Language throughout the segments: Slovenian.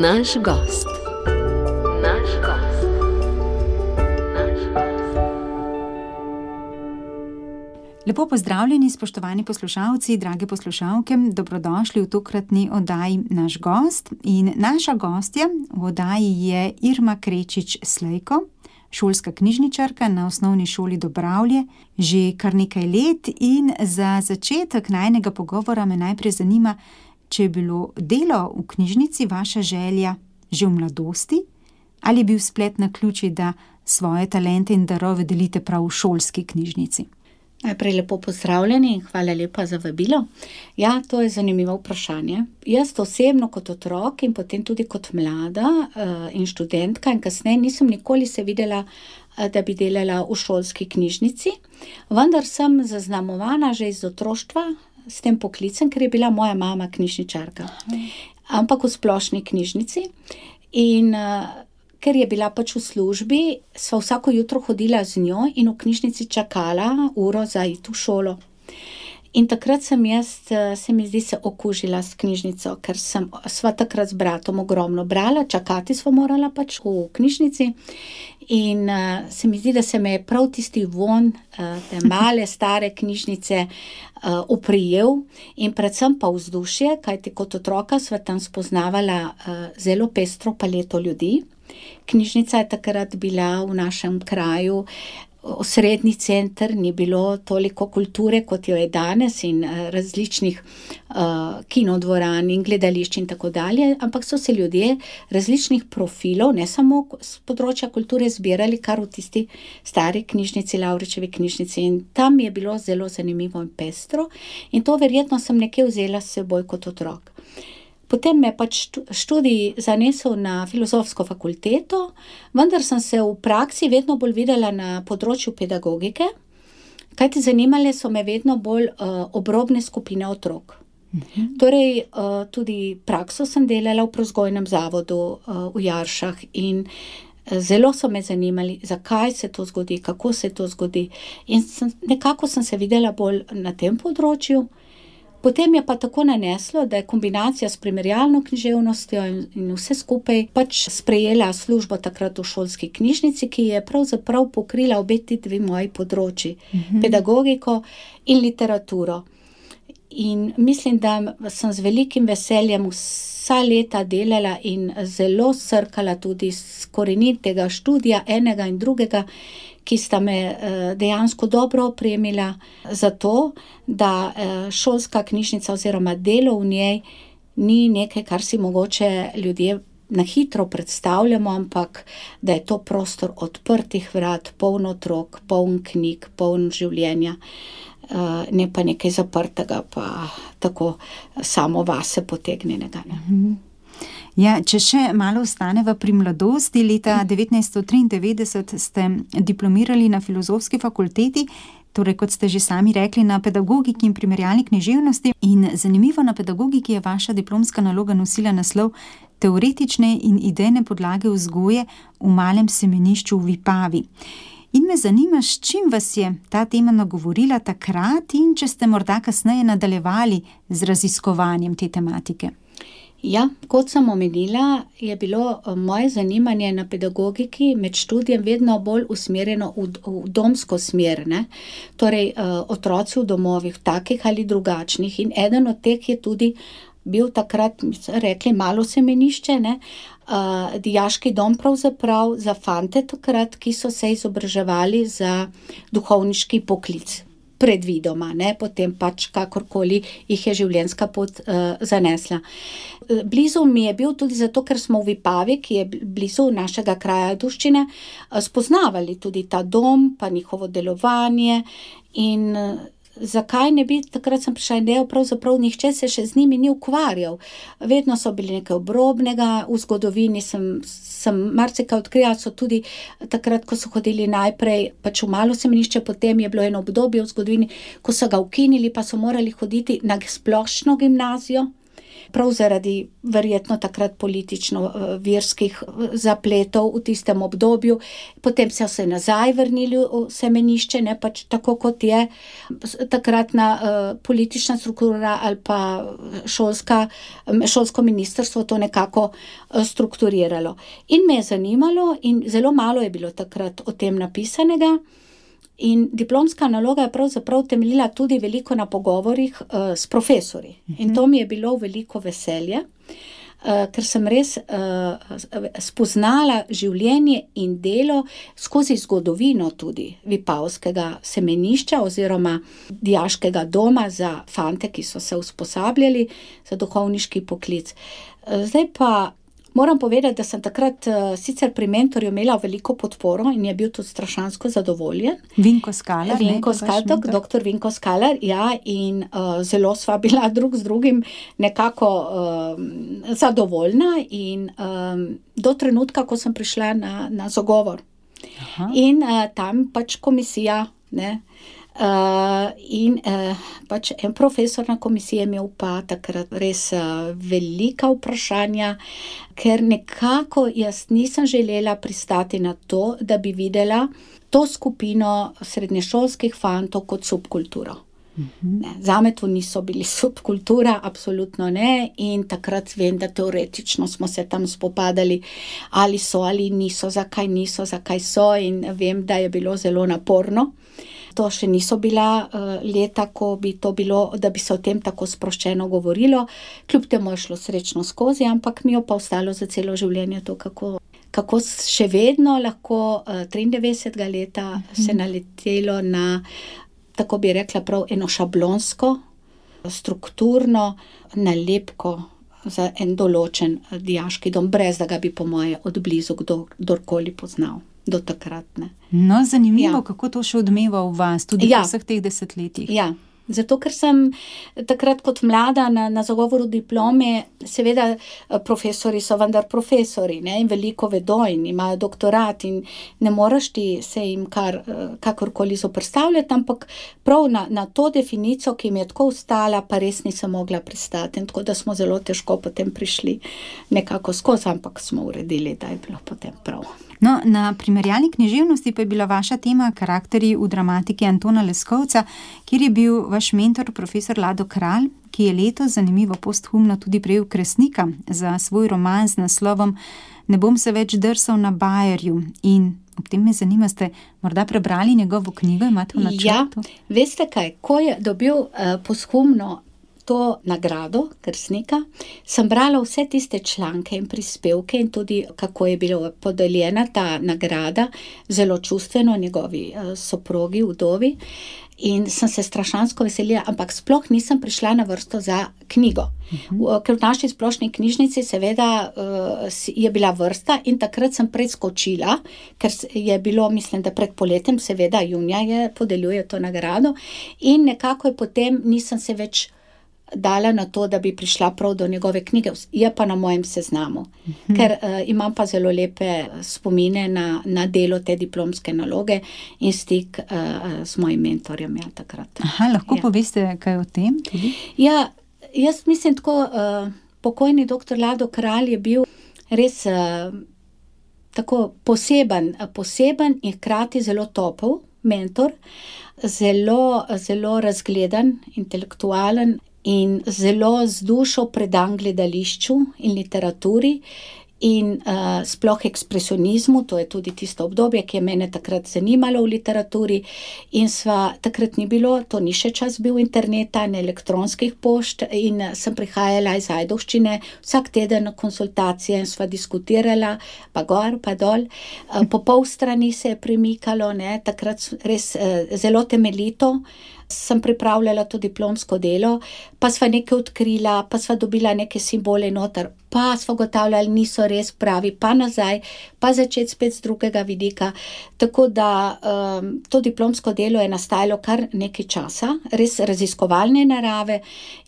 Naš gost. Lepo pozdravljeni, spoštovani poslušalci, drage poslušalke, dobrodošli v tokratni oddaji Naš gost. In naša gostja v oddaji je Irma Krečič-Slejko, šolska knjižničarka na Osnovni šoli Dobravlje že kar nekaj let. In za začetek najinega pogovora me najprej zanima, če je bilo delo v knjižnici vaša želja že v mladosti ali je bil splet naključij, da svoje talente in darove delite prav v šolski knjižnici. Najprej lepo pozdravljeni in hvala lepa za vabilo. Ja, to je zanimivo vprašanje. Jaz osebno kot otrok in potem tudi kot mlada in študentka in kasneje nisem nikoli se videla, da bi delala v šolski knjižnici, vendar sem zaznamovana že iz otroštva s tem poklicem, ker je bila moja mama knjižničarka. Ampak v splošni knjižnici in ker je bila pač v službi, sva vsako jutro hodila z njo in v knjižnici čakala uro za iti v šolo. In takrat se mi zdi, se okužila s knjižnico, ker sva takrat z bratom ogromno brala, čakati sva morala pač v knjižnici. In se mi zdi, da se me je prav tisti von te male, stare knjižnice oprijel in predvsem pa vzdušje, kajti kot otroka sva tam spoznavala zelo pestro paleto ljudi. Knjižnica je takrat bila v našem kraju osrednji center, ni bilo toliko kulture, kot jo je danes in različnih kinodvoran in gledališč in tako dalje, ampak so se ljudje različnih profilov, ne samo z področja kulture, zbirali kar v tisti stari knjižnici, Lavričevi knjižnici, in tam je bilo zelo zanimivo in pestro in to verjetno sem nekje vzela s seboj kot otrok. Potem me pač študij zanesel na filozofsko fakulteto, vendar sem se v praksi vedno bolj videla na področju pedagogike, kajti zanimale so me vedno bolj obrobne skupine otrok. Torej, tudi prakso sem delala v prevzgojnem zavodu v Jaršah in zelo so me zanimali, zakaj se to zgodi, kako se to zgodi. In nekako sem se videla bolj na tem področju. Potem je pa tako naneslo, da je kombinacija s primerjalno književnostjo in vse skupaj pač sprejela službo takrat v šolski knjižnici, ki je pravzaprav pokrila obe ti dve moji področji, pedagogiko in literaturo. In mislim, da sem z velikim veseljem vsa leta delala in zelo srkala tudi z korenitega študija enega in drugega, ki sta me dejansko dobro opremila za to, da šolska knjižnica oziroma delo v njej ni nekaj, kar si mogoče ljudje na hitro predstavljamo, ampak da je to prostor odprtih vrat, poln otrok, poln knjig, poln življenja, ne pa nekaj zaprtega, pa tako samo vase potegnjenega. Ja, če še malo ostaneva pri mladosti, leta 1993 ste diplomirali na Filozofski fakulteti, torej kot ste že sami rekli, na pedagogiki in primerjalni književnosti. In zanimivo, na pedagogiki je vaša diplomska naloga nosila naslov Teoretične in idejne podlage vzgoje v malem semenišču v Vipavi. In me zanima, s čim vas je ta tema nagovorila takrat in če ste morda kasneje nadaljevali z raziskovanjem te tematike. Ja, kot sem omenila, je bilo moje zanimanje na pedagogiki med študijem vedno bolj usmerjeno v domsko smer, ne? Torej otroci v domovih, takih ali drugačnih, in eden od teh je tudi bil takrat, rekli, malo semenišče, ne? Dijaški dom pravzaprav za fante takrat, ki so se izobraževali za duhovniški poklic. Predvidoma, ne, potem pač kakorkoli jih je življenjska pot zanesla. Blizu mi je bil tudi zato, ker smo v Vipavi, ki je blizu našega kraja Ajdovščine, spoznavali tudi ta dom, pa njihovo delovanje in zakaj ne bi, takrat sem prišla idejo, pravzaprav nihče se še z njimi ni ukvarjal. Vedno so bili nekaj obrobnega, v zgodovini sem marsikaj odkrila, so tudi takrat, ko so hodili najprej pač v malo semenišče, potem je bilo eno obdobje v zgodovini, ko so ga ukinili, pa so morali hoditi na splošno gimnazijo. prav zaradi verjetno takrat politično-verskih zapletov v tistem obdobju. Potem so se nazaj vrnili v semenišče, ne pač tako, kot je takratna politična struktura ali pa šolsko ministrstvo to nekako strukturiralo. In me je zanimalo in zelo malo je bilo takrat o tem napisanega. In diplomska naloga je pravzaprav temeljila tudi veliko na pogovorih s profesorji. In to mi je bilo veliko veselje, ker sem res spoznala življenje in delo skozi zgodovino tudi Vipavskega semenišča oziroma dijaškega doma za fante, ki so se usposabljali za duhovniški poklic. Zdaj pa moram povedati, da sem takrat sicer pri mentorju imela veliko podporo in je bil tudi strašansko zadovoljen. Vinko Skalar, doktor Vinko Skalar, ja, in zelo sva bila drug z drugim nekako zadovoljna in do trenutka, ko sem prišla na zagovor. Aha. In tam pač komisija, ne, in pač en profesor na komisiji je imel pa takrat res velika vprašanja, ker nekako jaz nisem želela pristati na to, da bi videla to skupino srednješolskih fantov kot subkulturo. Ne, zame to niso bili subkultura, absolutno ne, in takrat vem, da teoretično smo se tam spopadali, ali so ali niso, zakaj so, in vem, da je bilo zelo naporno. To še niso bila leta, ko bi to bilo, da bi se o tem tako sproščeno govorilo. Kljub temu je šlo srečno skozi, ampak mi je pa ostalo za celo življenje to, kako še vedno lahko 93. leta se naletelo na, tako bi rekla, prav eno šablonsko, strukturno nalepko za en določen dijaški dom, brez da ga bi po moje od blizu kdorkoli poznal. Do takrat, ne. No, zanimivo, ja. Kako to še odmeva v vas, tudi v vseh teh desetletjih. Ja, zato ker sem takrat kot mlada na zagovoru diplome, seveda profesori so vendar profesori, ne, in veliko vedo in imajo doktorat in ne moreš ti se jim kakorkoli zoperstavljati, ampak prav na to definicijo, ki mi je tako ostala, pa res nisem mogla pristati. In tako da smo zelo težko potem prišli nekako skozi, ampak smo uredili, da je bilo potem prav. No, na primerjalni književnosti pa je bila vaša tema karakterji v dramatiki Antona Leskovca, kjer je bil vaš mentor profesor Lado Kralj, ki je letos zanimivo posthumno tudi prejel Kresnika za svoj roman z naslovom Ne bom se več drsal na bajerju. In ob tem me zanima, ste morda prebrali njegovo knjigo, imate v načrtu? Ja, veste kaj, ko je dobil posthumno to nagrado Kresnika, sem brala vse tiste članke in prispevke in tudi kako je bila podeljena ta nagrada, zelo čustveno njegovi soprogi, vdovi, in sem se strašansko veselila, ampak sploh nisem prišla na vrsto za knjigo. Ker v naši splošni knjižnici seveda je bila vrsta in takrat sem preskočila, ker je bilo, mislim, da pred poletjem, seveda junija je podeljuje to nagrado, in nekako je potem nisem se več dala na to, da bi prišla prav do njegove knjige, je pa na mojem seznamu, ker imam pa zelo lepe spomine na delo te diplomske naloge in stik s mojim mentorjem, ja, takrat. Aha, lahko poveste kaj o tem tudi? Ja, jaz mislim tako, pokojni doktor Lado Kralj je bil res tako poseben in hkrati zelo topel mentor, zelo razgledan, intelektualen in zelo z dušo predan gledališču in literaturi in sploh ekspresionizmu, to je tudi tisto obdobje, ki je mene takrat zanimalo v literaturi, in takrat ni bilo, to ni še čas bil interneta, ne elektronskih pošt, in sem prihajala iz Ajdovščine vsak teden na konsultacije in sva diskutirala, pa gor, pa dol, po pol strani se je premikalo, ne, takrat res zelo temeljito sem pripravljala to diplomsko delo, pa sva nekaj odkrila, pa sva dobila neke simbole noter, pa sva ugotavljali, niso res pravi, pa nazaj, pa začeti spet z drugega vidika. Tako da to diplomsko delo je nastajalo kar nekaj časa, res raziskovalne narave,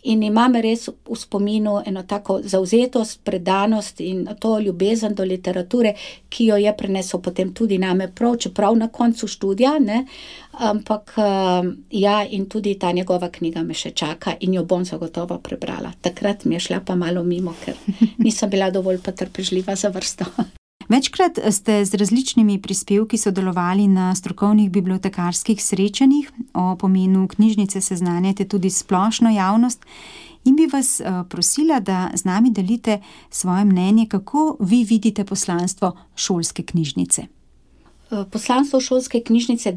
in imam res v spominu eno tako zavzetost, predanost in to ljubezen do literature, ki jo je prenesel potem tudi name prav, čeprav na koncu študija, ne, ampak ja, in tudi ta njegova knjiga me še čaka in jo bom zagotovo prebrala. Takrat mi je šla pa malo mimo, ker nisem bila dovolj potrpežljiva za vrsto. Večkrat ste z različnimi prispevki sodelovali na strokovnih bibliotekarskih srečanjih. O pomenu knjižnice seznanjate tudi splošno javnost in bi vas prosila, da z nami delite svoje mnenje, kako vi vidite poslanstvo šolske knjižnice. Poslanstvo šolske knjižnice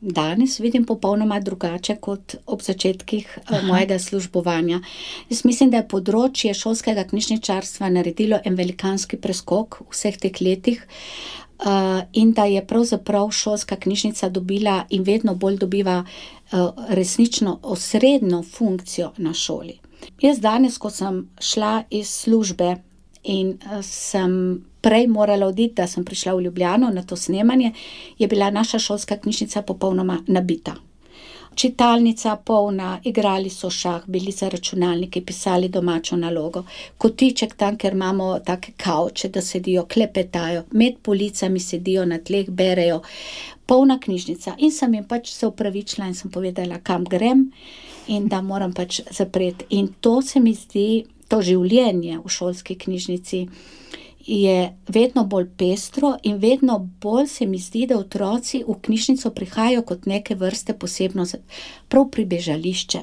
danes vidim popolnoma drugače kot ob začetkih mojega službovanja. Jaz mislim, da je področje šolskega knjižničarstva naredilo en velikanski preskok v vseh teh letih in da je pravzaprav šolska knjižnica dobila in vedno bolj dobiva resnično osrednjo funkcijo na šoli. Jaz danes, ko sem šla iz službe in sem prej morala oditi, da sem prišla v Ljubljano na to snemanje, je bila naša šolska knjižnica popolnoma nabita. Čitalnica polna, igrali so šah, bili za računalniki, pisali domačo nalogo. Kotiček tam, ker imamo take kavče, da sedijo, klepetajo, med policami sedijo, na tleh berejo. Polna knjižnica. In sem jim pač se opravičila in sem povedala, kam grem in da moram pač zapreti. In to se mi zdi, to življenje v šolski knjižnici je vedno bolj pestro in vedno bolj se mi zdi, da otroci v knjižnico prihajajo kot neke vrste posebno prav pribežališče.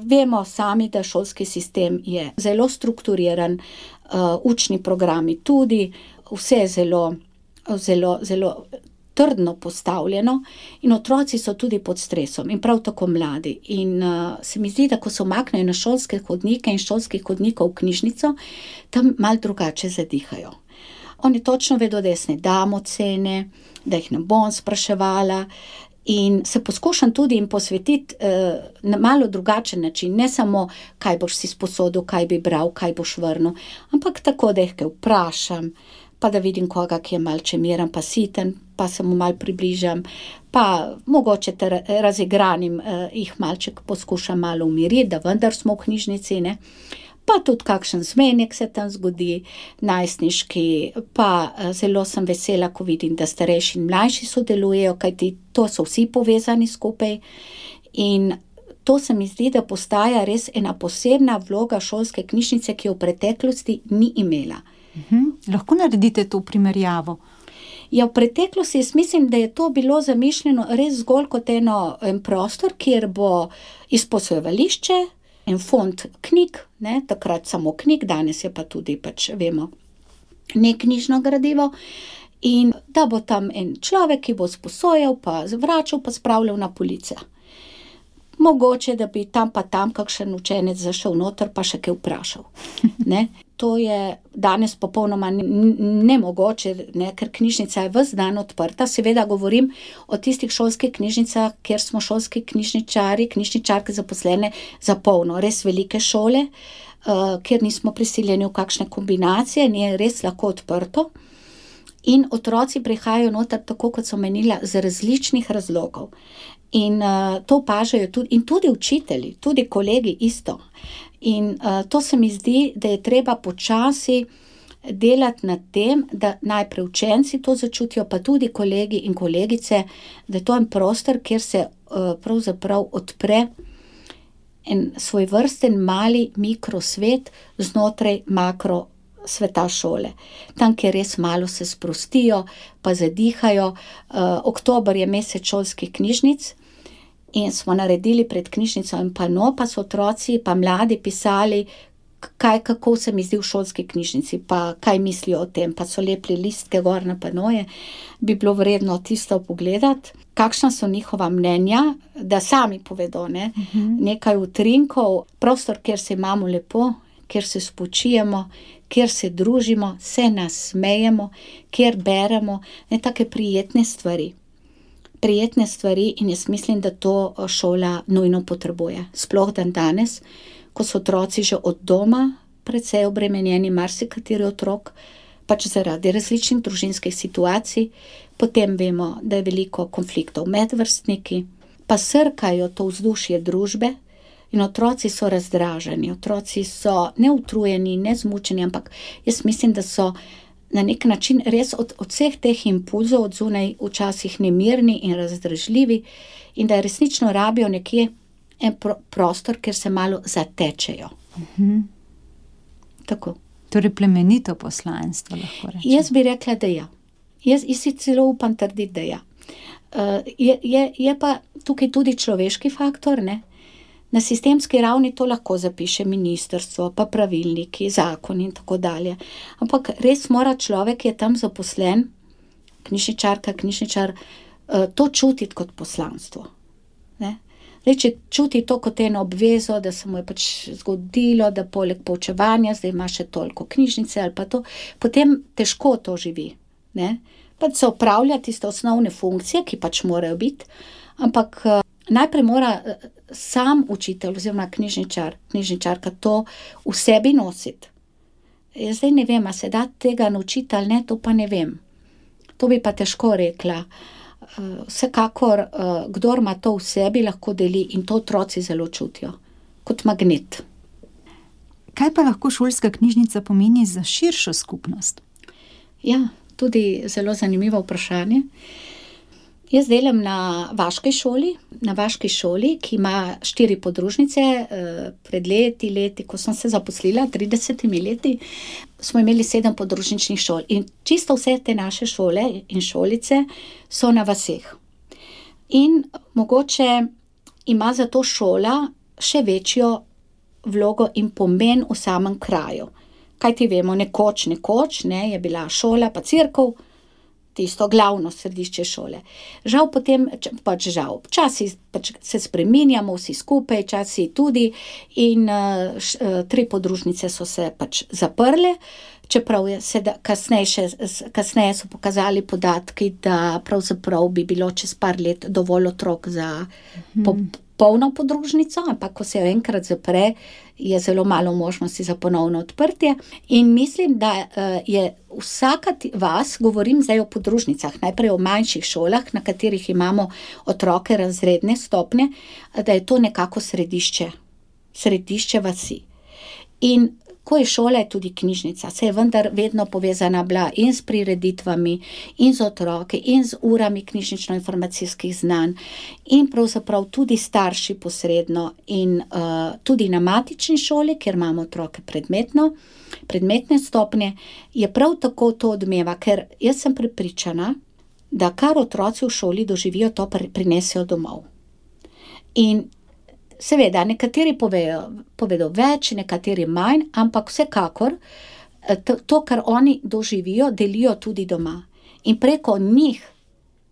Vemo sami, da šolski sistem je zelo strukturiran, učni programi tudi, vse je zelo trdno postavljeno in otroci so tudi pod stresom in prav tako mladi. In se mi zdi, da ko se umaknejo na šolske hodnike in šolskih hodnikov v knjižnico, tam malo drugače zadihajo. Oni točno vedo, da jaz ne dam ocene, da jih ne bom spraševala in se poskušam tudi jim posvetiti na malo drugačen način, ne samo, kaj boš si sposodil, kaj bi bral, kaj boš vrnil, ampak tako, da jih kaj vprašam, pa da vidim koga, ki je malce miren, pa siten, pa se mu malo približam, pa mogoče razigranim jih malček poskušam malo umiriti, da vendar smo v knjižnici, ne. Pa tudi kakšen zmenek se tam zgodi, najstniški, pa zelo sem vesela, ko vidim, da starejši in mlajši sodelujejo, kajti to so vsi povezani skupaj in to se mi zdi, da postaja res ena posebna vloga šolske knjižnice, ki jo v preteklosti ni imela. Lahko naredite to primerjavo? Ja, v preteklosti jaz mislim, da je to bilo zamišljeno res zgolj kot en prostor, kjer bo izposojevališče, en fond knjig, ne, takrat samo knjig, danes je pa tudi pač, vemo, neknjižno gradivo, in da bo tam en človek, ki bo sposojal, pa zvračal, pa spravljal na police. Mogoče, da bi tam pa tam kakšen učenec zašel noter, pa še kaj vprašal. Ne? To je danes popolnoma nemogoče, ne? Ker knjižnica je ves dan odprta. Seveda govorim o tistih šolskih knjižnicah, kjer smo šolski knjižničari, knjižničarke zaposlene za polno, res velike šole, kjer nismo prisiljeni v kakšne kombinacije, je res lahko odprto. In otroci prihajajo noter, tako kot so menila, z različnih razlogov. In to opažajo tudi, in tudi učitelji, tudi kolegi isto. In to se mi zdi, da je treba počasi delati nad tem, da najprej učenci to začutijo, pa tudi kolegi in kolegice, da je to en prostor, kjer se pravzaprav odpre en svojvrsten mali mikrosvet znotraj makro sveta šole. Tam, kjer res malo se sprostijo, pa zadihajo. Oktober je mesec šolskih knjižnic in smo naredili pred knjižnico en pano, pa so otroci, pa mladi pisali, kako se mi zdi v šolski knjižnici, pa kaj mislijo o tem, pa so lepili listke gor na panoje. Bi bilo vredno tisto pogledati, kakšna so njihova mnenja, da sami povedo, ne? Nekaj utrinkov, prostor, kjer se imamo lepo, kjer se spočijemo, kjer se družimo, se nasmejemo, kjer beremo, ne, take prijetne stvari. Prijetne stvari in jaz mislim, da to šola nujno potrebuje. Sploh dan danes, ko so otroci že od doma precej obremenjeni, marsikateri otrok, pač zaradi različnih družinskih situacij, potem vemo, da je veliko konfliktov med vrstniki, pa srkajo to vzdušje družbe in otroci so razdraženi, otroci so ne utrujeni, ne zmučeni, ampak jaz mislim, da so na nek način res od vseh teh impulzov od zunaj včasih nemirni in razdražljivi in da resnično rabijo nekje en prostor, kjer se malo zatečejo. Tako. Torej plemenito poslanstvo, lahko rečem. Jaz bi rekla, da ja. Jaz si celo upam trditi, da ja. Je pa tukaj tudi človeški faktor, ne? Na sistemski ravni to lahko zapiše ministrstvo, pa pravilniki, zakon in tako dalje. Ampak res mora človek, ki je tam zaposlen, knjižničar, to čutiti kot poslanstvo. Ne? Zdaj, če čuti to kot eno obvezo, da se mu je pač zgodilo, da poleg poučevanja zdaj ima še toliko knjižnice ali pa to, potem težko to živi. Ne? Pač se opravlja tiste osnovne funkcije, ki pač morajo biti, ampak najprej mora sam učitelj oziroma knjižničarka to v sebi nositi. Jaz zdaj ne vem, a se da tega naučiti ali ne, to pa ne vem. To bi pa težko rekla. Vsekakor, kdor ima to v sebi, lahko deli in to otroci zelo čutijo. Kot magnet. Kaj pa lahko šolska knjižnica pomeni za širšo skupnost? Ja, tudi zelo zanimivo vprašanje. Jaz delam na vaški šoli, ki ima 4 podružnice. Pred leti, ko sem se zaposlila, 30 leti, smo imeli 7 podružničnih šol. In čisto vse te naše šole in šolice so na vaseh. In mogoče ima zato šola še večjo vlogo in pomen v samem kraju. Kaj ti vemo, nekoč, je bila šola pa cerkev, tisto glavno središče šole. Žal potem, včasih se spreminjamo vsi skupaj, včasih tudi in 3 podružnice so se pač zaprle, čeprav kasneje so pokazali podatki, da pravzaprav bi bilo čez par let dovolj otrok za polno podružnico, ampak ko se jo enkrat zapre, je zelo malo možnosti za ponovno odprtje. In mislim, da je vsaka vas, govorim zdaj o podružnicah, najprej o manjših šolah, na katerih imamo otroke razredne stopnje, da je to nekako središče vasi. In ko je šola, je tudi knjižnica, se je vendar vedno povezana bila in s prireditvami, in z otroki, in z urami knjižnično-informacijskih znanj, in pravzaprav tudi starši posredno, in tudi na matični šoli, kjer imamo otroke predmetne stopnje, je prav tako to odmeva, ker jaz sem prepričana, da kar otroci v šoli doživijo, to prinesejo domov. In seveda, nekateri povedo več, nekateri manj, ampak vsekakor to, kar oni doživijo, delijo tudi doma. In preko njih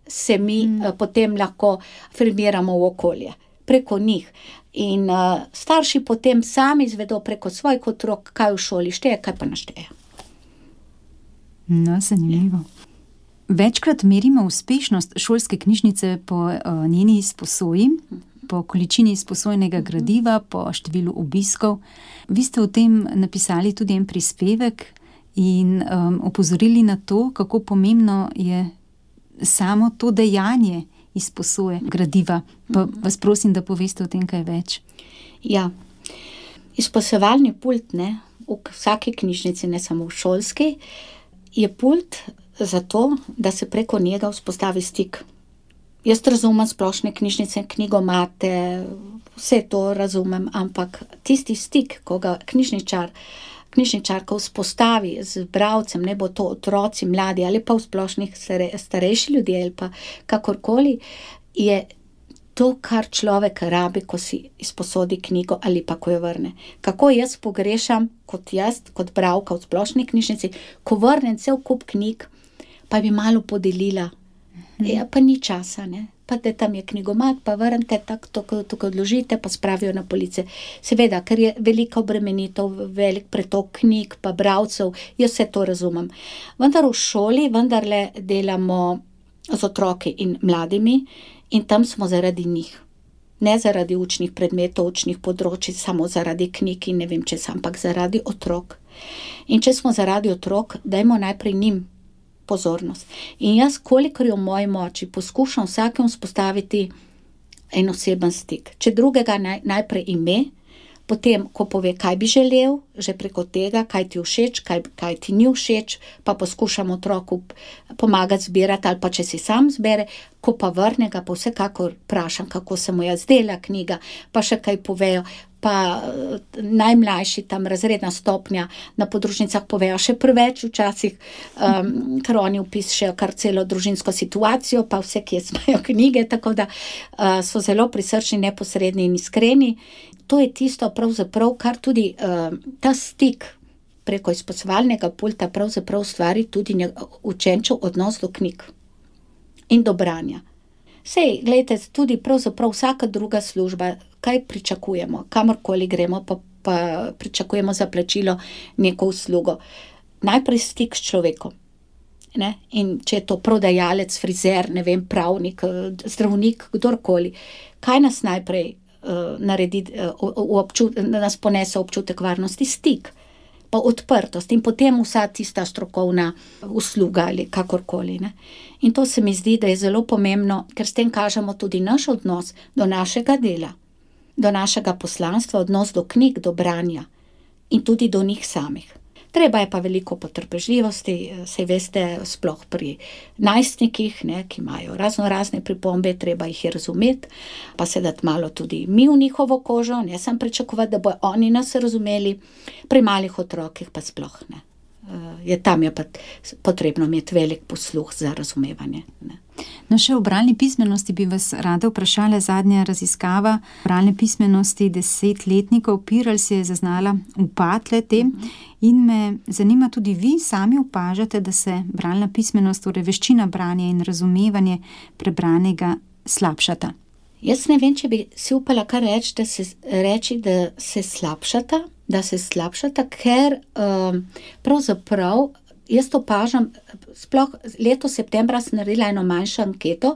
se mi potem lahko afirmiramo v okolje. Preko njih. In starši potem sami izvedo preko svojih otrok, kaj v šoli šteje, kaj pa ne šteje. No, zanimivo. Večkrat merimo uspešnost šolske knjižnice po njeni izposoji, po količini izposojenega gradiva, po številu obiskov. Vi ste o tem napisali tudi en prispevek in opozorili na to, kako pomembno je samo to dejanje izposoje gradiva. Pa vas prosim, da poveste o tem kaj več. Ja, izposojevalni pult, v vsaki knjižnici, ne samo v šolski, je pult zato, da se preko njega vzpostavi stik. Jaz razumem splošne knjižnice, knjigomate, vse to razumem, ampak tisti stik, ko ga knjižničarka vzpostavi z bralcem, ne bo to otroci, mladi ali pa v splošnih starejši ljudje ali pa kakorkoli, je to, kar človek rabi, ko si izposodi knjigo ali pa ko jo vrne. Kako jaz pogrešam, kot bralka v splošni knjižnici, ko vrnem cel kup knjig, pa bi malo podelila. Ja, pa ni časa, pa da tam je knjigomat, pa vrnite tako odložite, pa spravijo na police. Seveda, ker je velika obremenitev, velik pretok knjig, pa bralcev, jaz vse to razumem. Vendar v šoli vendarle delamo z otroki in mladimi in tam smo zaradi njih. Ne zaradi učnih predmetov, učnih področij, samo zaradi knjig in ne vem česa, ampak zaradi otrok. In če smo zaradi otrok, dajmo najprej njim pozornost. In jaz, kolikor je v moji moči, poskušam vsakem vzpostaviti en oseben stik. Če drugega najprej ime, potem, ko pove, kaj bi želel, že preko tega, kaj ti všeč, kaj ti ni všeč, pa poskušam otroku pomagati zbirati, ali pa če si sam zbere, ko pa vrne ga, pa vsekakor vprašam, kako se mu je zdela knjiga, pa še kaj povejo. Pa najmlajši tam razredna stopnja na podružnicah povejo še preveč včasih, ker oni opišejo kar celo družinsko situacijo, pa vse, kje smajo knjige, tako da so zelo prisrčni, neposredni in iskreni. To je tisto pravzaprav, kar tudi ta stik preko izposovalnega pulta pravzaprav stvari tudi učenčev odnos do knjig in do branja. Sej, glejte, tudi pravzaprav vsaka druga služba, kaj pričakujemo, kamorkoli gremo, pa pričakujemo za plačilo neko uslugo. Najprej stik s človekom, ne? In če je to prodajalec, frizer, ne vem, pravnik, zdravnik, kdorkoli, kaj nas najprej naredi, nas ponese občutek varnosti? Stik, pa odprtost in potem vsa tista strokovna usluga ali kakorkoli, ne. In to se mi zdi, da je zelo pomembno, ker s tem kažemo tudi naš odnos do našega dela, do našega poslanstva, odnos do knjig, do branja in tudi do njih samih. Treba je pa veliko potrpežljivosti, saj veste, sploh pri najstnikih, ne, ki imajo razne pripombe, treba jih je razumeti, pa se dati malo tudi mi v njihovo kožo, ne samo pričakovati, da bojo oni nas razumeli, pri malih otrokih pa sploh ne. Tam je pa potrebno imeti velik posluh za razumevanje, ne. No, še o bralni pismenosti bi vas rada vprašala. Zadnja raziskava bralne pismenosti 10-letnikov PIRLS je zaznala upad le-te in me zanima, tudi vi sami opažate, da se bralna pismenost, torej veščina branja in razumevanje prebranega slabšata? Jaz ne vem, če bi si upala kar reči, da se slabšata, ker pravzaprav jaz opažam, sploh letos septembra sem naredila eno manjšo anketo,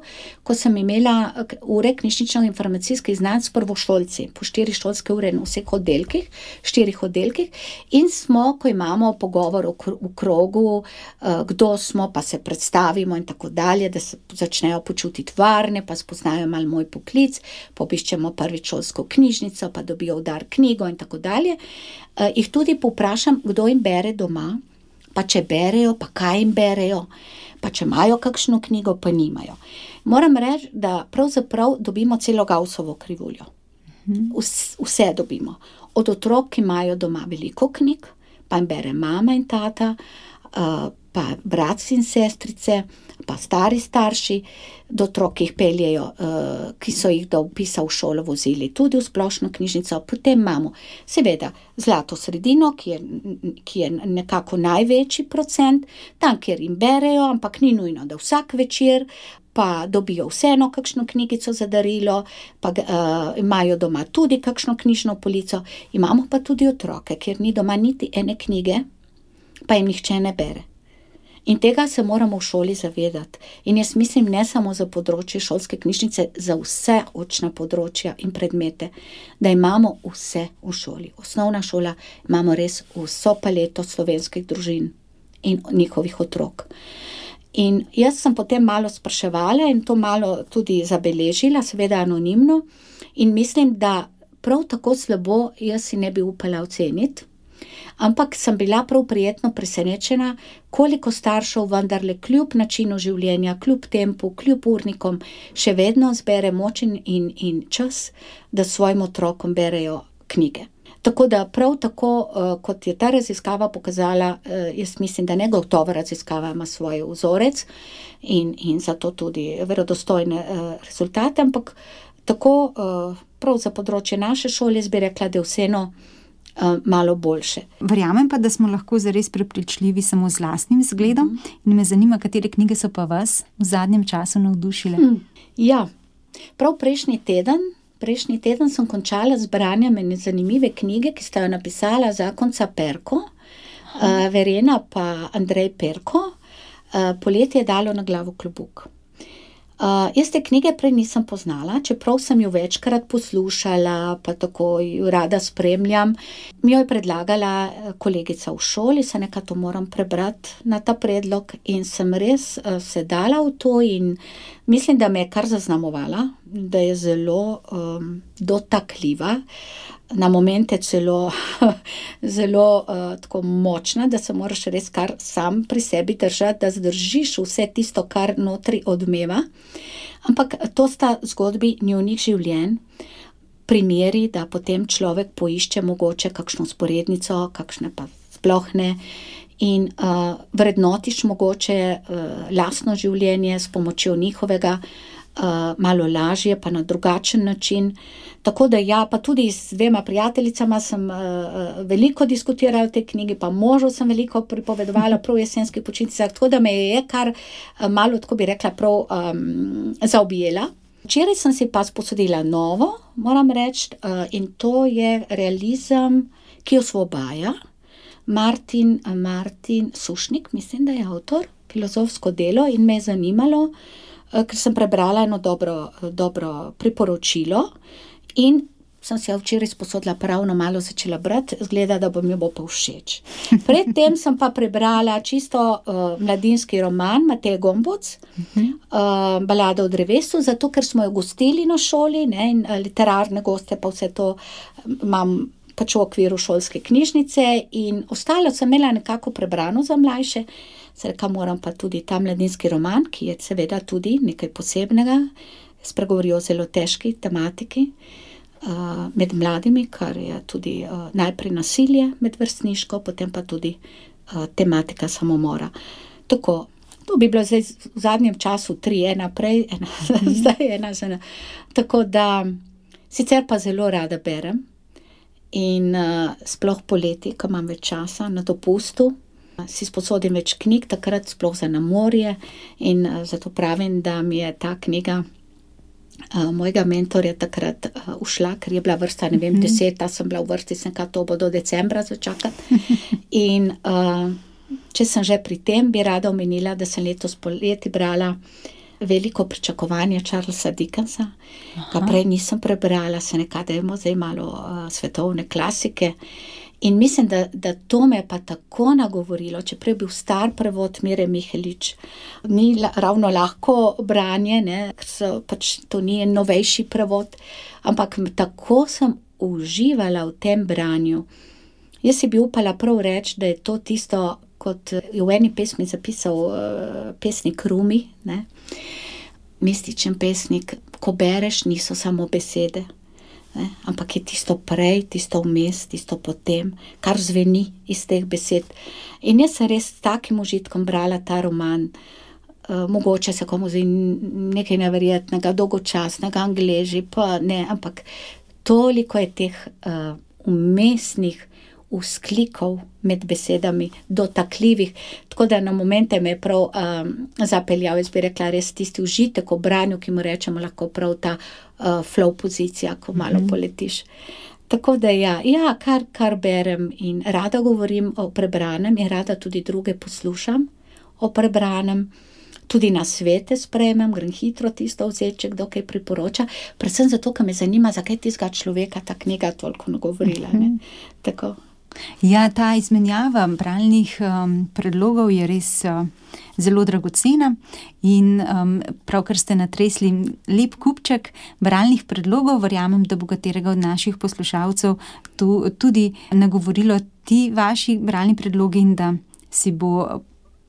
ko sem imela ure knjižnično-informacijskih znanj s prvošolci, po 4 šolske ure na vseh oddelkih, 4 oddelkih, in smo, ko imamo pogovor v krogu, kdo smo, pa se predstavimo in tako dalje, da se začnejo počutiti varne, pa spoznajo malo moj poklic, pobiščemo prvič šolsko knjižnico, pa dobijo v dar knjigo in tako dalje, jih tudi povprašam, kdo jim bere doma, pa če berejo, pa kaj jim berejo, pa če imajo kakšno knjigo, pa nimajo. Moram reči, da pravzaprav dobimo celo Gaussovo krivuljo. Vse dobimo. Od otrok, ki imajo doma veliko knjig, pa jim bere mama in tata, pa brat in sestrice, pa stari starši, do otrok, ki jih peljejo, ki so jih do vpisa v šolo vozili tudi v splošno knjižnico. Potem imamo seveda zlato sredino, ki je nekako največji procent, tam, kjer jim berejo, ampak ni nujno, da vsak večer, pa dobijo vseeno kakšno knjigico za darilo, pa imajo doma tudi kakšno knjižno polico. Imamo pa tudi otroke, kjer ni doma niti ene knjige, pa jim nihče ne bere. In tega se moramo v šoli zavedati. In jaz mislim, ne samo za področje šolske knjižnice, za vse učna področja in predmete, da imamo vse v šoli. Osnovna šola, imamo res vso paleto slovenskih družin in njihovih otrok. In jaz sem potem malo spraševala in to malo tudi zabeležila, seveda anonimno, in mislim, da prav tako slabo jaz si ne bi upala oceniti, ampak sem bila prav prijetno presenečena, koliko staršev vendarle kljub načinu življenja, kljub tempu, kljub urnikom, še vedno zbere moč in čas, da svojim otrokom berejo knjige. Tako da prav tako, kot je ta raziskava pokazala, jaz mislim, da negotova raziskava ima svoj vzorec in zato tudi verodostojne rezultate, ampak tako prav za področje naše šole bi rekla, da je vseeno malo boljše. Verjamem pa, da smo lahko zares prepričljivi samo z lastnim zgledom in me zanima, katere knjige so pa vas v zadnjem času navdušile. Ja, prav prejšnji teden sem končala z branjem ene zanimive knjige, ki sta jo napisala zakonca Perko, Verena pa Andrej Perko, Poletje je dalo na glavo klobuk. Jaz te knjige prej nisem poznala, čeprav sem jo večkrat poslušala, pa tako jo rada spremljam. Mi jo je predlagala kolegica v šoli, se nekaj to moram prebrati na ta predlog in sem res se dala v to in mislim, da me je kar zaznamovala, da je zelo dotakljiva. na momente celo zelo tako močna, da se moraš res kar sam pri sebi držati, da zdržiš vse tisto, kar notri odmeva. Ampak to sta zgodbi njunih življenj, primeri, da potem človek poišče mogoče kakšno vzporednico, kakšne pa sploh ne, in vrednotiš mogoče lastno življenje s pomočjo njihovega, malo lažje, pa na drugačen način. Tako da ja, pa tudi z 2 prijateljicama sem veliko diskutirala o tej knjigi, pa možu sem veliko pripovedovala prav v jesenskih počitnicah, tako da me je kar malo, tako bi rekla, prav zaobjela. Včeraj sem si pa sposodila novo, moram reči, in to je realizem, ki osvobaja. Martin Sušnik, mislim, da je avtor, filozofsko delo, in me je zanimalo, ker sem prebrala eno dobro priporočilo in sem si jo včeraj sposodila, pravno malo začela brati, izgleda, da mi bo pa všeč. Predtem sem pa prebrala čisto mladinski roman Mateje Gombuc, Balada o drevesu, zato ker smo jo gostili na šoli, ne, in literarne goste, pa vse to imam pač v okviru šolske knjižnice, in ostalo sem imela nekako prebrano za mlajše. Rekla, moram pa tudi ta mladinski roman, ki je seveda tudi nekaj posebnega, spregovori o zelo težki tematiki med mladimi, kar je tudi najprej nasilje medvrstniško, potem pa tudi tematika samomora. Tako, to bi bilo zdaj v zadnjem času 3, ena prej, zdaj ena. Tako da, sicer pa zelo rada berem in sploh poleti, ko imam več časa na dopustu, si sposodim več knjig, takrat sploh za na morje, in zato pravim, da mi je ta knjiga mojega mentorja takrat ušla, ker je bila vrsta, ne vem, 10, sem bila v vrsti, sem kaj to bo do decembra začakati. In če sem že pri tem, bi rada omenila, da sem letos poleti brala Veliko pričakovanje Charlesa Dickensa, ga prej nisem prebrala, se nekadajmo zdaj malo svetovne klasike. In mislim, da to me je pa tako nagovorilo, čeprav je bil star prevod Mire Mihelič, ni ravno lahko branje, ne, ker pač to ni novejši prevod, ampak tako sem uživala v tem branju. Jaz si bi upala prav reči, da je to tisto, kot je v eni pesmi zapisal pesnik Rumi, ne, mističen pesnik, ko bereš, niso samo besede, ne, ampak je tisto prej, tisto vmes, tisto potem, kar zveni iz teh besed. In jaz sem res s takim užitkom brala ta roman, mogoče se komu zdi nekaj neverjetnega, dolgočasnega, angleži, pa ne, ampak toliko je teh vmesnih vzklikov med besedami, dotakljivih, tako da na momente me je prav zapeljal, jaz bi rekla, res tisti užitek v branju, ki mu rečemo lahko prav ta flow pozicija, ko malo poletiš. Tako da ja, kar berem in rada govorim o prebranem in rada tudi druge poslušam o prebranem, tudi na svete sprejmem, grem hitro tisto vzeti, če kdo kaj priporoča, predvsem zato, ker me zanima, zakaj tistega človeka ta knjiga toliko nagovorila, ne, tako. Ja, ta izmenjava bralnih predlogov je res zelo dragocena in pravkar ste natresli lep kupček bralnih predlogov, verjamem, da bo katerega od naših poslušalcev tudi nagovorilo ti vaši bralni predlogi in da si bo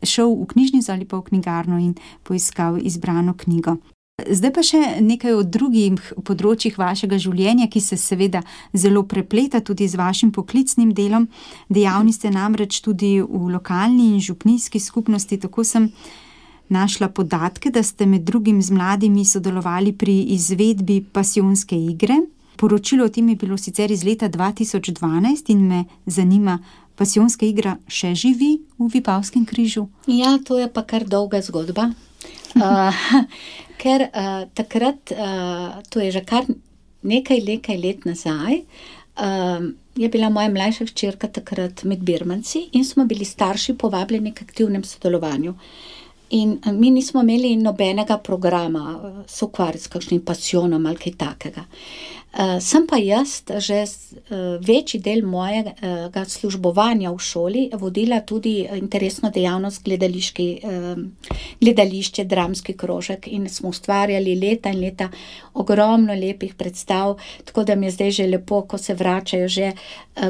šel v knjižnico ali pa v knjigarno in poiskal izbrano knjigo. Zdaj pa še nekaj o drugih področjih vašega življenja, ki se seveda zelo prepleta tudi z vašim poklicnim delom. Dejavni ste namreč tudi v lokalni in župnijski skupnosti, tako sem našla podatke, da ste med drugim z mladimi sodelovali pri izvedbi pasijonske igre. Poročilo o tem je bilo sicer iz leta 2012 in me zanima, pasijonska igra še živi v Vipavskem križu? Ja, to je pa kar dolga zgodba. Ker takrat, to je že kar nekaj let nazaj, je bila moja mlajša hčerka takrat med birmanci in smo bili starši povabljeni k aktivnem sodelovanju. In mi nismo imeli nobenega programa, se ukvarjati s kakšnim pasijonom ali kaj takega. Sem pa jaz že večji del mojega službovanja v šoli vodila tudi interesno dejavnost gledališče, dramski krožek in smo ustvarjali leta in leta ogromno lepih predstav, tako da mi je zdaj že lepo, ko se vračajo že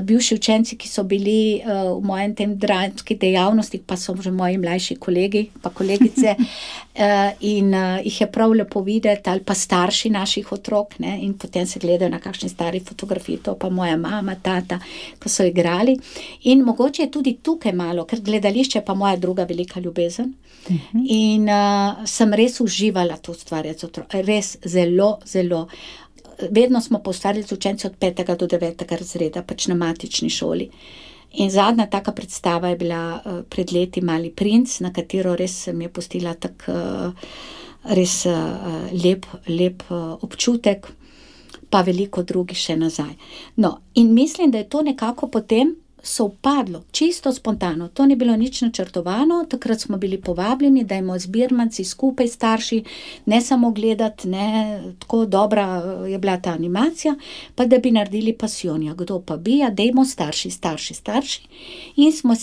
bivši učenci, ki so bili v mojem tem dramski dejavnosti, pa so že moji mlajši kolegi pa kolegice in jih je prav lepo videti, ali pa starši naših otrok, ne, in potem se gledajo na kakšni stari fotografiji, to pa moja mama, tata, ko so igrali. In mogoče je tudi tukaj malo, ker gledališče je pa moja druga velika ljubezen. In sem res uživala to ustvarjati z otroki, res zelo, zelo. Vedno smo poustvarjali z učenci od 5. do 9. razreda, pač na matični šoli. In zadnja taka predstava je bila pred leti Mali princ, na katero res mi je pustila tak res lep občutek, pa veliko drugih še nazaj. No, in mislim, da je to nekako potem sovpadlo, čisto spontano. To ni bilo nič načrtovano, takrat smo bili povabljeni, da imamo zbirmanci skupaj starši, ne samo gledati, ne, tako dobra je bila ta animacija, pa da bi naredili pasijonja. Kdo pa bi, dajmo starši. In smo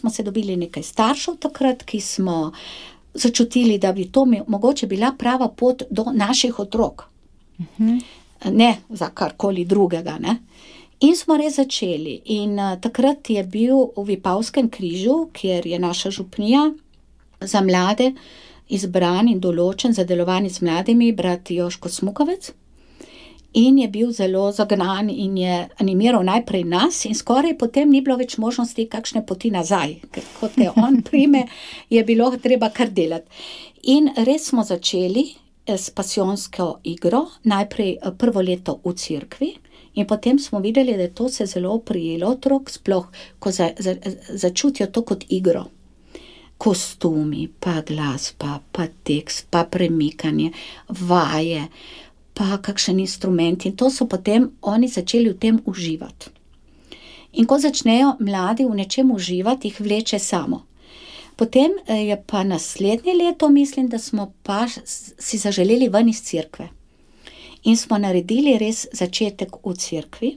se dobili nekaj staršev takrat, ki smo začutili, da bi to mogoče bila prava pot do naših otrok. Ne za karkoli drugega, ne. In smo res začeli. In takrat je bil v Vipavskem križu, kjer je naša župnija za mlade izbran in določen za delovanje z mladimi brat Jožko Smukovec. In je bil zelo zagnan in je animiral najprej nas in skoraj potem ni bilo več možnosti kakšne poti nazaj, ker kot te on prime, je bilo treba kar delati. In res smo začeli s pasijonsko igro, najprej prvo leto v cerkvi, in potem smo videli, da je to se zelo prijelo otrok, sploh ko začutijo to kot igro. Kostumi, pa glasba, pa tekst, pa premikanje, vaje, pa kakšen instrument, in to so potem oni začeli v tem uživati. In ko začnejo mladi v nečem uživati, jih vleče samo. Potem je pa naslednje leto, mislim, da smo pa si zaželeli ven iz cerkve. In smo naredili res začetek v cerkvi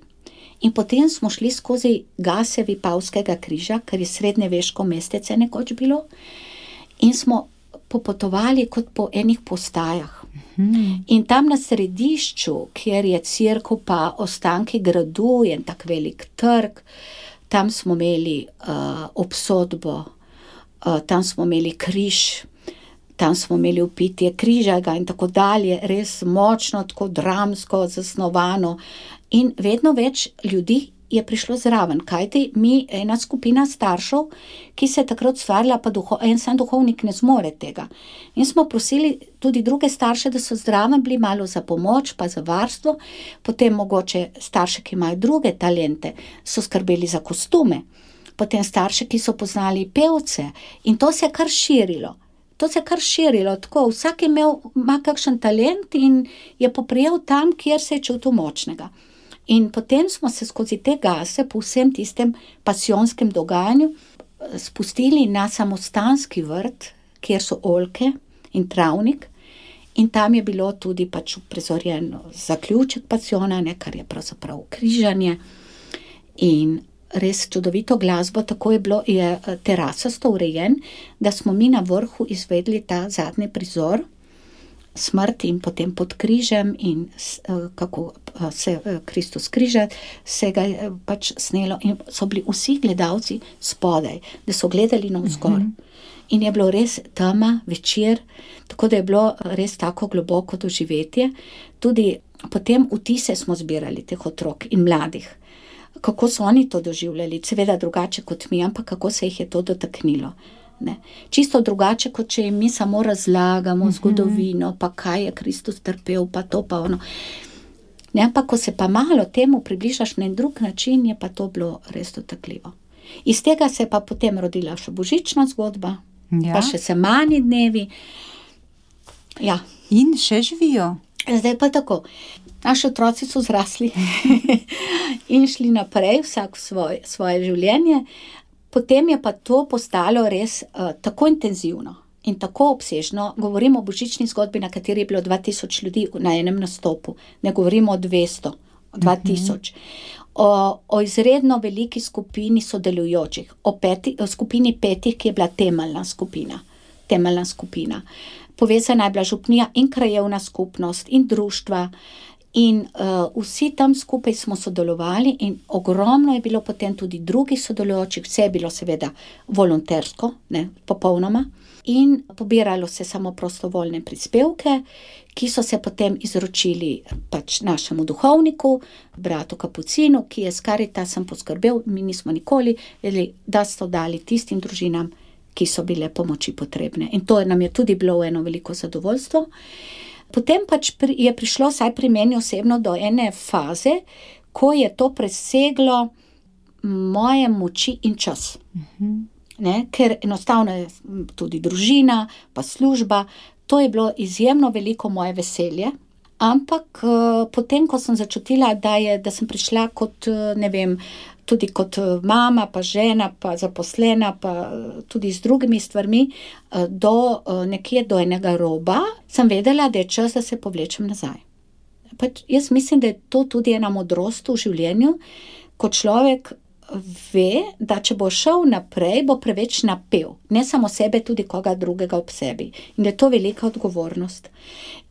in potem smo šli skozi gase Vipavskega križa, ker je srednjeveško mestece nekoč bilo, in smo popotovali kot po enih postajah. In tam na središču, kjer je cerkev pa ostanki gradu, je tak velik trg, tam smo imeli obsodbo, tam smo imeli križ, tam smo imeli vpitje križaga in tako dalje, res močno, tako dramsko zasnovano. In vedno več ljudi je prišlo zraven, kajti mi, ena skupina staršev, ki se je takrat ustvarila, pa en sam duhovnik ne zmore tega. In smo prosili tudi druge starše, da so zraven bili malo za pomoč, pa za varstvo, potem mogoče starše, ki imajo druge talente, so skrbeli za kostume. Potem starše, ki so poznali pevce, in to se je kar širilo. Tako vsak ima kakšen talent in je poprijel tam, kjer se je čutil močnega. In potem smo se skozi te gase po vsem tistem pasijonskem dogajanju spustili na samostanski vrt, kjer so oljke in travnik, in tam je bilo tudi pač uprizorjen zaključek pasijona, kar je pravzaprav križanje in res čudovito glasbo, tako je terasasto urejen, da smo mi na vrhu izvedli ta zadnji prizor, smrt in potem pod križem in kako se Kristus križa, se ga je pač snelo in so bili vsi gledalci spodaj, da so gledali navzgor. In je bilo res tema, večer, tako da je bilo res tako globoko doživetje. Tudi potem vtise smo zbirali teh otrok in mladih. Kako so oni to doživljali, seveda drugače kot mi, ampak kako se jih je to dotaknilo. Ne. Čisto drugače, kot če jim mi samo razlagamo zgodovino, pa kaj je Kristus trpel, pa to pa ono. Ne, ampak ko se pa malo temu približaš na en drug način, je pa to bilo res dotakljivo. Iz tega se je pa potem rodila še božična zgodba, pa še semani dnevi. Ja. In še živijo. Zdaj pa tako. Naši otroci so zrasli in šli naprej, vsak svoje življenje. Potem je pa to postalo res tako intenzivno, in tako obsežno, govorimo o božični zgodbi, na kateri je bilo 2000 ljudi na enem nastopu, ne govorimo o 200, 2000. O izredno veliki skupini sodelujočih, o skupini 5, ki je bila temeljna skupina. Povezana je bila župnija in krajevna skupnost in društva in vsi tam skupaj smo sodelovali in ogromno je bilo potem tudi drugih sodelujočih, vse je bilo seveda volontersko, ne, popolnoma, in pobiralo se samo prostovoljne prispevke, ki so se potem izročili pač našemu duhovniku, bratu Kapucinu, ki je s Karitasom poskrbel, mi nismo nikoli vedeli, da so dali tistim družinam, ki so bile pomoči potrebne. In to nam je tudi bilo eno veliko zadovoljstvo. Potem pač je prišlo, saj pri meni osebno, do ene faze, ko je to preseglo moje moči in čas. Ne? Ker enostavno je tudi družina, pa služba, to je bilo izjemno veliko moje veselje, ampak potem, ko sem začutila, da sem prišla kot, ne vem, tudi kot mama, pa žena, pa zaposlena, pa tudi z drugimi stvarmi, nekje do enega roba, sem vedela, da je čas, da se povlečem nazaj. Pač jaz mislim, da je to tudi ena modrost v življenju, ko človek ve, da če bo šel naprej, bo preveč napel. Ne samo sebe, tudi koga drugega ob sebi. In da je to velika odgovornost.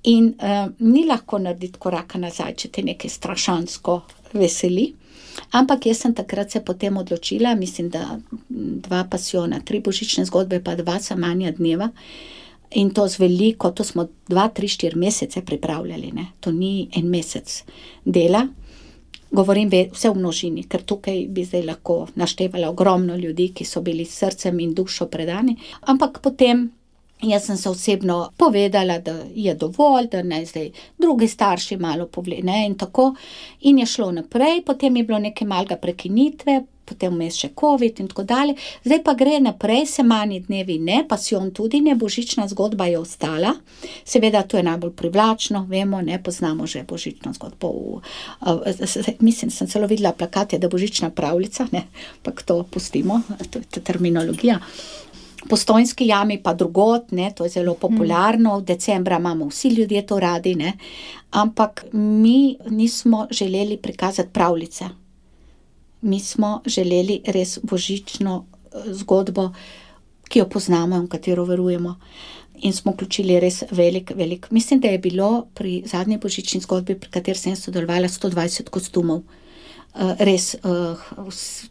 In ni lahko narediti koraka nazaj, če te nekaj strašansko veseli. Ampak jaz sem takrat se potem odločila, mislim, da 2 pasijona, 3 božične zgodbe, pa 2 samanja dneva. In to z veliko, to smo 2, 3, 4 mesece pripravljali, ne. To ni en mesec dela. Govorim vse v množini, ker tukaj bi zdaj lahko naštevala ogromno ljudi, ki so bili s srcem in dušo predani. Ampak potem jaz sem se osebno povedala, da je dovolj, da naj zdaj drugi starši malo ne, in tako. In je šlo naprej, potem je bilo nekaj malega prekinitve, potem vmes še covid in tako dalje. Zdaj pa gre naprej, semanji dnevi ne, pasijon tudi ne, božična zgodba je ostala. Seveda to je najbolj privlačno, vemo, ne, poznamo že božično zgodbo. Mislim, sem celo videla plakate, da božična pravljica, ne, ampak to pustimo, to je terminologija. Postojnski jami pa drugod, ne, to je zelo popularno, v decembra imamo vsi ljudje to radi, ne, ampak mi nismo želeli prikazati pravljice. Mi smo želeli res božično zgodbo, ki jo poznamo in v katero verujemo. In smo vključili res velik. Mislim, da je bilo pri zadnji božični zgodbi, pri kateri sem sodelovala, 120 kostumov. Res,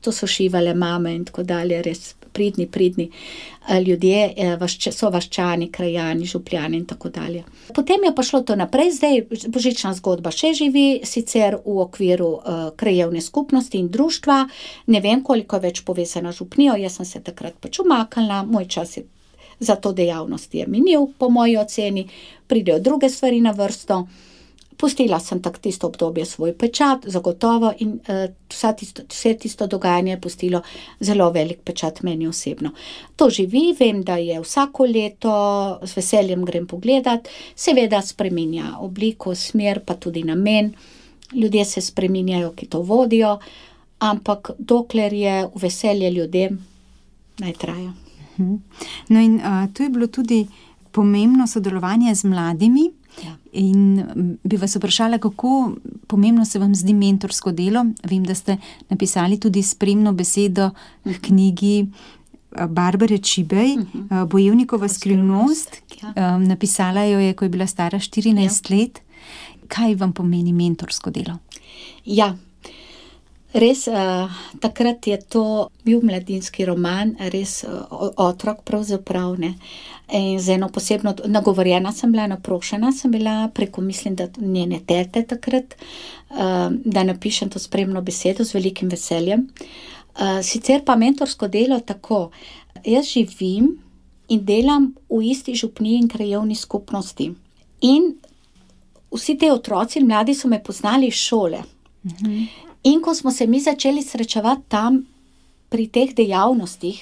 to so šivale mame in tako dalje, res pridni ljudje, so vaščani, krajani, župljani in tako dalje. Potem je pa šlo to naprej, zdaj božična zgodba še živi, sicer v okviru krajevne skupnosti in društva, ne vem, koliko je več povezana župnijo, jaz sem se takrat pač umaknila, moj čas je za to dejavnost je minil, po moji oceni, pridejo druge stvari na vrsto. Pustila sem tako tisto obdobje svoj pečat, zagotovo, in vse tisto dogajanje je pustilo zelo velik pečat meni osebno. To živi, vem, da je vsako leto, z veseljem grem pogledat, seveda spreminja obliko, smer, pa tudi namen. Ljudje se spreminjajo, ki to vodijo, ampak dokler je v veselje ljudem, naj traja. No in tu je bilo tudi pomembno sodelovanje z mladimi. Ja. In bi vas vprašala, kako pomembno se vam zdi mentorsko delo. Vem, da ste napisali tudi spremno besedo k knigi Barbare Čibej, Bojevnikova skrivnost. Ja. Napisala jo je, ko je bila stara 14 let. Kaj vam pomeni mentorsko delo? Ja, res, takrat je to bil mladinski roman, res otrok pravzaprav, ne. In z eno posebno, nagovorjena sem bila, naprošena sem bila preko, mislim, da njene tete takrat, da napišem to spremno besedo z velikim veseljem. Sicer pa mentorsko delo tako, jaz živim in delam v isti župniji in krajevni skupnosti. In vsi te otroci in mladi so me poznali iz šole. In ko smo se mi začeli srečevati tam pri teh dejavnostih,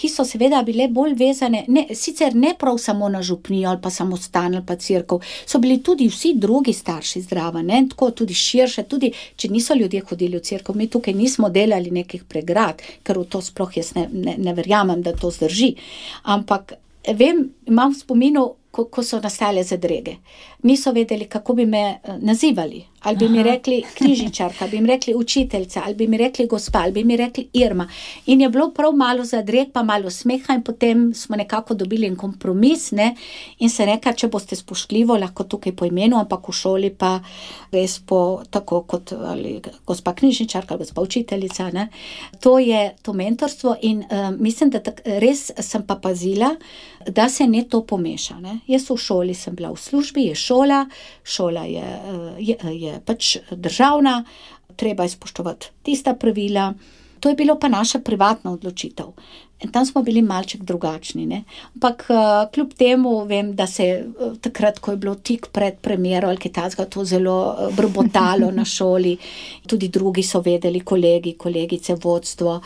ki so seveda bile bolj vezane, sicer ne prav samo na župnijo ali pa samostan ali pa cerkev, so bili tudi vsi drugi starši zraven, ne, tako tudi širše, tudi če niso ljudje hodili v cerkev, mi tukaj nismo delali nekih pregrad, ker v to sploh jaz ne verjamem, da to zdrži. Ampak vem, imam v spominu, ko so nastale zadrege. Niso vedeli, kako bi me nazivali. Ali bi mi rekli knjižničarka, bi mi rekli učiteljica, ali bi mi rekli gospa, ali bi mi rekli Irma. In je bilo prav malo zadreg, pa malo smeha in potem smo nekako dobili en kompromis, ne, in se reka, če boste spoštljivo, lahko tukaj po imenu, ampak v šoli pa res po tako kot ali gospa knjižničarka, ali gospa učiteljica, ne. To je to mentorstvo in mislim, da res sem pa pazila, da se ne to pomeša, ne. Jaz v šoli sem bila v službi, je šola je pač državna, treba je spoštovati tista pravila, to je bilo pa naša privatna odločitev. In tam smo bili malček drugačni, ne. Ampak kljub temu vem, da se takrat, ko je bilo tik pred premiero ali kaj takega, to zelo brbotalo na šoli, tudi drugi so vedeli, kolegi, kolegice, vodstvo.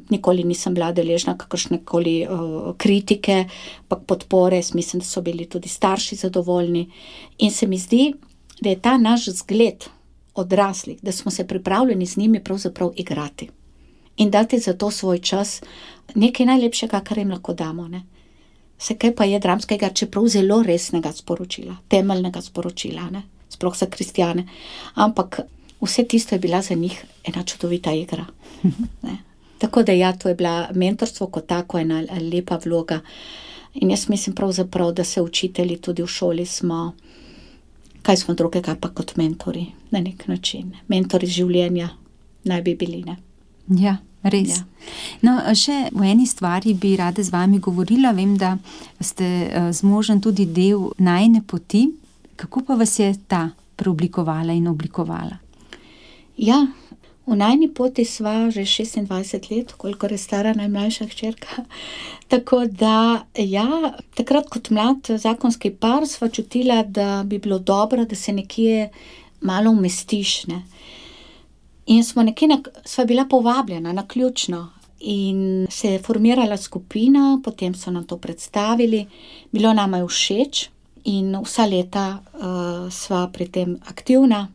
Nikoli nisem bila deležna kakršnekoli kritike, ampak podpore, mislim, da so bili tudi starši zadovoljni. In se mi zdi, da je ta naš zgled odraslih, da smo se pripravljeni z njimi pravzaprav igrati. In dati za to svoj čas nekaj najlepšega, kar jim lahko damo, ne. Vse kaj pa je dramskega, čeprav zelo resnega sporočila, temeljnega sporočila, ne, sploh za kristjane. Ampak vse tisto je bila za njih ena čudovita igra, ne. Tako da ja, to je bila mentorstvo kot tako ena lepa vloga. In jaz mislim pravzaprav, da se učitelji tudi v šoli smo, kaj smo drugega pa kot mentori, na nek način. Mentori življenja naj bi bili, ne. Ja, res. Ja. No, še v eni stvari bi rada z vami govorila. Vem, da ste z možem tudi del najine poti. Kako pa vas je ta preoblikovala in oblikovala? Ja, v najini poti sva že 26 let, kolikor je stara najmlajša hčerka. Tako da, ja, takrat kot mlad zakonski par sva čutila, da bi bilo dobro, da se nekje malo umestiš, ne. In sva bila povabljena naključno in se je formirala skupina, potem so nam to predstavili, bilo nama je všeč in vsa leta sva pri tem aktivna,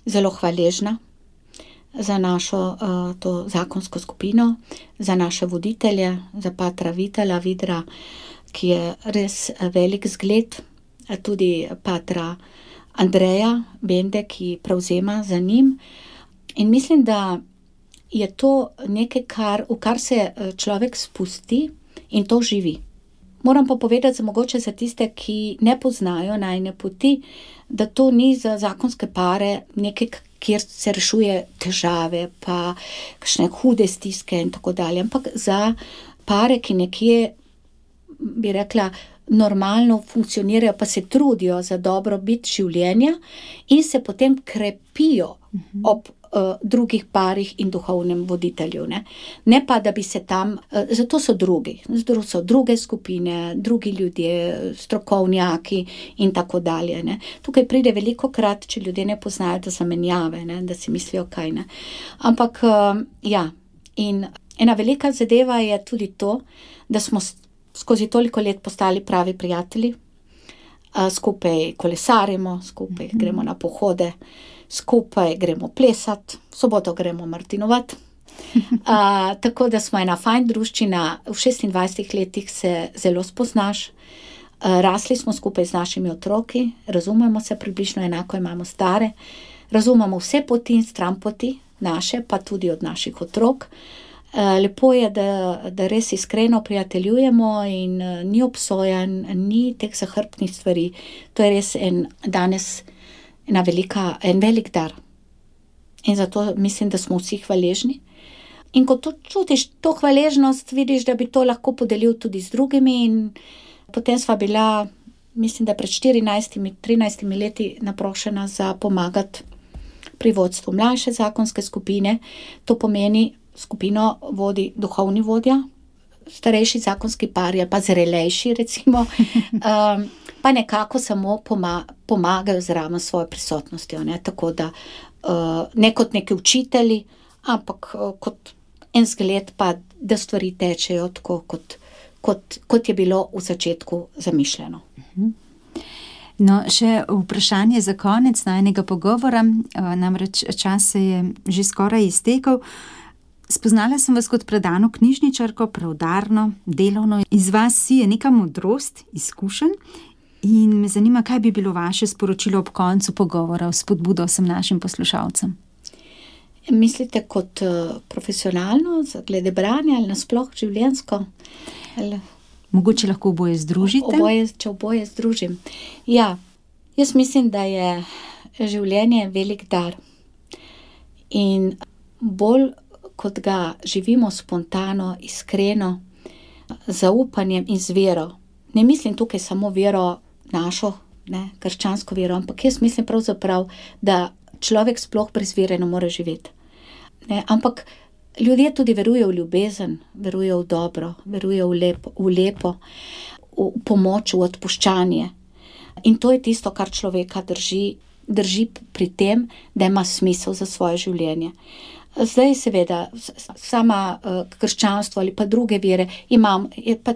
zelo hvaležna za našo to zakonsko skupino, za naše voditelje, za patra Vitala Vidra, ki je res velik zgled, tudi patra Andreja Bende, ki prevzema za njim. In mislim, da je to nekaj, v kar se človek spusti in to živi. Moram pa povedati, mogoče za tiste, ki ne poznajo najine poti, da to ni za zakonske pare nekaj, kjer se rešuje težave, pa kakšne hude stiske in tako dalje, ampak za pare, ki nekje, bi rekla, normalno funkcionirajo, pa se trudijo za dobrobit življenja in se potem krepijo ob drugih parih in duhovnem voditelju, ne. Ne pa, da bi se tam, zato so so druge skupine, drugi ljudje, strokovnjaki in tako dalje, ne. Tukaj pride velikokrat, če ljudje ne poznajo, do zamenjave, ne, da si mislijo, kaj ne. Ampak, ja, in ena velika zadeva je tudi to, da smo skozi toliko let postali pravi prijatelji, skupaj kolesarimo, skupaj gremo na pohode, skupaj gremo plesat, v soboto gremo martinovat. Tako da smo ena fajn druščina, v 26 letih se zelo spoznaš, rasli smo skupaj z našimi otroki, razumemo se približno enako, imamo stare, razumemo vse poti in stranpoti naše, pa tudi od naših otrok. Lepo je, da res iskreno prijateljujemo in ni obsojanj, ni teh zahrbtnih stvari. To je res danes en velik dar. In zato mislim, da smo vsi hvaležni. In ko to čutiš, to hvaležnost, vidiš, da bi to lahko podelil tudi z drugimi in potem sva bila, mislim, da pred 13 leti naprošena za pomagati pri vodstvu mlajše zakonske skupine. To pomeni, skupino vodi duhovni vodja, starejši zakonski par ali pa zrelejši, recimo, pa nekako samo pomagajo zraven svojo prisotnostjo, ne, tako da ne kot neki učitelji, ampak kot en zgled, pa da stvari tečejo tako, kot je bilo v začetku zamišljeno. No, še vprašanje za konec najinega pogovora, namreč čas se je že skoraj iztekel. Spoznala sem vas kot predano knjižničarko, preudarno, delovno. Iz vas sije neka modrost, izkušenj in me zanima, kaj bi bilo vaše sporočilo ob koncu pogovora, spodbudo vsem našim poslušalcem. Mislite kot profesionalno, glede branja ali nasploh življenjsko? Mogoče lahko oboje združite? Če oboje združim. Ja, jaz mislim, da je življenje velik dar. In bolj kot ga živimo spontano, iskreno, z zaupanjem in z vero. Ne mislim tukaj samo vero našo, krščansko vero, ampak jaz mislim pravzaprav, da človek sploh brez vere ne more živeti. Ampak ljudje tudi verujejo v ljubezen, verujejo v dobro, verujejo v lepo, v pomoč, v odpuščanje. In to je tisto, kar človeka drži pri tem, da ima smisel za svoje življenje. Zdaj seveda, sama krščanstvo ali pa druge vere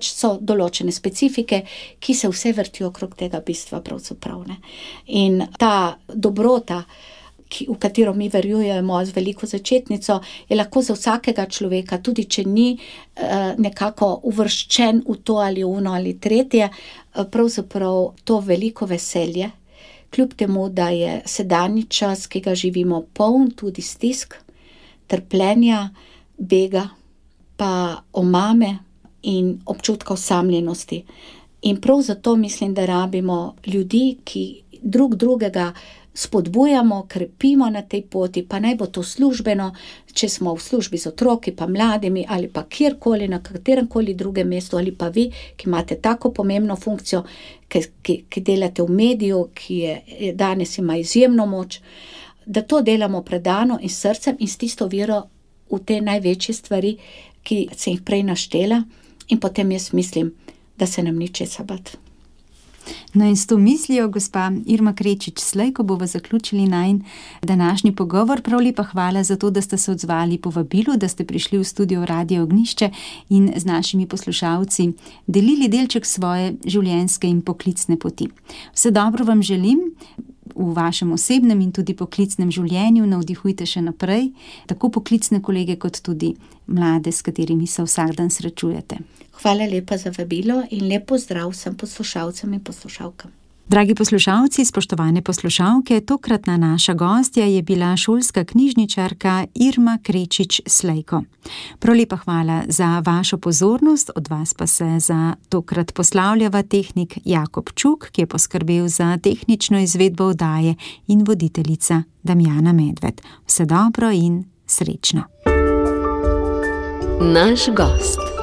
so določene specifike, ki se vse vrtijo okrog tega bistva pravzaprav. In ta dobrota, v katero mi verjujemo z veliko začetnico, je lahko za vsakega človeka, tudi če ni nekako uvrščen v to ali ono ali tretje, pravzaprav to veliko veselje, kljub temu, da je sedanji čas, ki ga živimo, poln tudi stisk, trpljenja, bega, pa omame in občutka osamljenosti. In prav zato mislim, da rabimo ljudi, ki drugega spodbujamo, krepimo na tej poti, pa naj bo to službeno, če smo v službi z otroki, pa mladimi, ali pa kjerkoli, na kateremkoli drugem mestu, ali pa vi, ki imate tako pomembno funkcijo, ki delate v mediju, ki je danes ima izjemno moč, da to delamo predano in srcem in s tisto vero v te največje stvari, ki sem jih prej naštela, in potem jaz mislim, da se nam ni česa bati. No in s to mislijo, gospa Irma Krečič Slejko, bova zaključili najin današnji pogovor. Prav lepa hvala za to, da ste se odzvali povabilu, da ste prišli v studio Radia Ognjišče in z našimi poslušalci delili delček svoje življenjske in poklicne poti. Vse dobro vam želim v vašem osebnem in tudi poklicnem življenju, navdihujte še naprej, tako poklicne kolege kot tudi mlade, s katerimi se vsak dan srečujete. Hvala lepa za vabilo in lep pozdrav vsem poslušalcem in poslušalkam. Dragi poslušalci, spoštovane poslušalke, tokratna naša gostja je bila šolska knjižničarka Irma Krečič Slejko. Prav lepa hvala za vašo pozornost, od vas pa se za tokrat poslavljava tehnik Jakob Čuk, ki je poskrbel za tehnično izvedbo oddaje, in voditeljica Damjana Medved. Vse dobro in srečno. Naš gost.